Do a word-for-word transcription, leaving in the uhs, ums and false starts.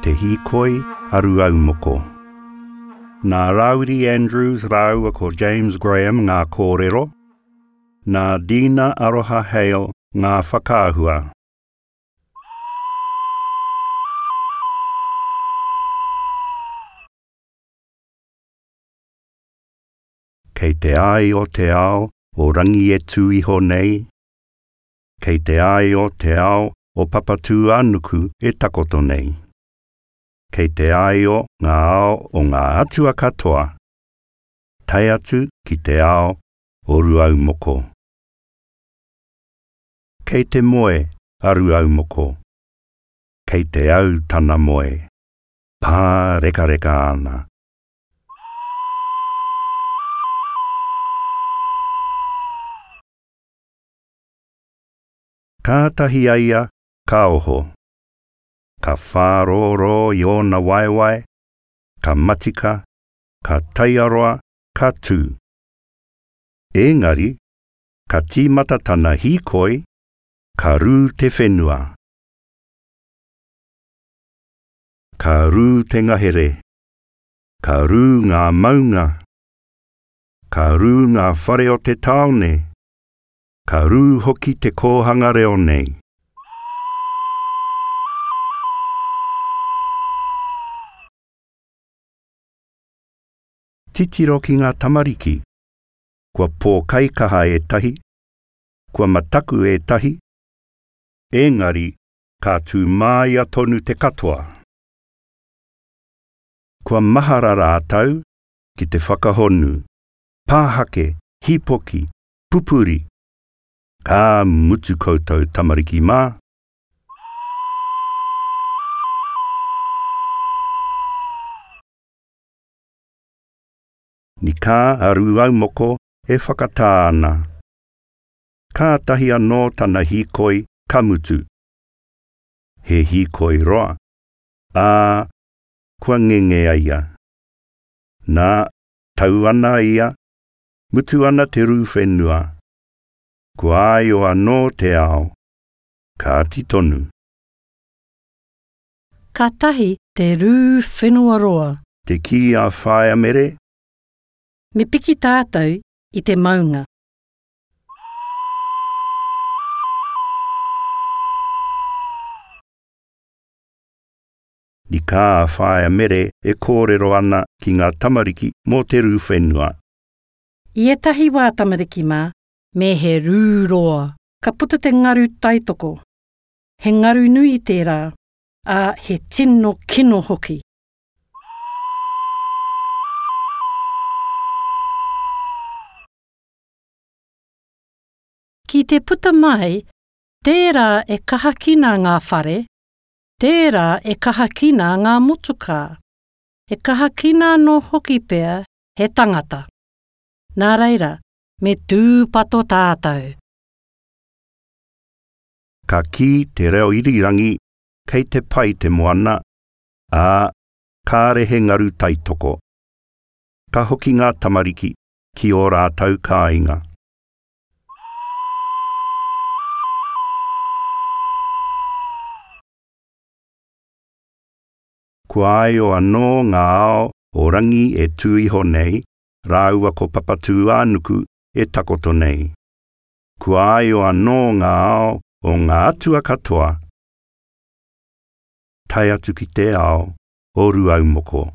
Te Hīkoi a Rūaumoko. Nā Rāwiri Andrews rāua ko James Graham ngā kōrero, nā Dina Aroha Hale ngā whakaahua. Kei te ai o te ao o Rangi e tū iho nei, kei te ai o te ao o Papatūānuku e takoto nei. Kei te aio ngā ao o ngā atua katoa, tae atu ki te ao o Rūaumoko. Kei te moe a Rūaumoko. Kei te au tana moe. Pārekareka ana. Kātahi a ia ka oho. Ka whārōrō i ōna waewae, ka matika, ka taiaroa, ka tū. Engari, ka tīmata tana hīkoi, ka rū te whenua. Ka rū te ngahere. Ka rū ngā maunga. Ka rū ngā whare o te tāone. Ka rū hoki te kōhanga reo nei. Titiro ki ngā tamariki. Kua pōkaikaha ētahi, kua mataku ētahi, engari ka tū māia tonu te katoa. Kua mahara rātou ki te whakahonu, pāhake, hīpoki, pupuri. Ka mutu koutou tamariki mā. Nikā a Rūaumoko e whakatā ana. Kātahi anō tana hīkoi ka mutu. He hīkoi roa, ā, kua ngenge a ia. Nā, tau ana ia, mutu ana te rū whenua. Kua aio anō te ao. Kāti tonu. Kātahi te rū whenua roa. Te kī a Whaea Mere. Me piki tātou i te maunga. Nikā a Whaea Mere e kōrero ana ki ngā tamariki mō te rū whenua. I ētahi wā tamariki mā, me he rū roa, ka puta te ngaru taitoko. He ngaru nui tērā, ā, he tino kino hoki. Ki te puta mai, tērā e kahakina ngā whare, tērā e kahakina ngā motukā. E kahakina anō hoki pea he tangata. Nā reira, me tūpato tātou. Ka kī te reo irirangi, kei te pai te moana, ā, kāre he ngaru taitoko. Ka hoki ngā tamariki ki ō rātou kāinga. Kua aio anō ngā ao o Rangi e tū iho nei, rāua ko Papatūānuku e takoto nei. Kua aio anō ngā ao o ngā atua katoa. Tae atu ki te ao o Rūaumoko.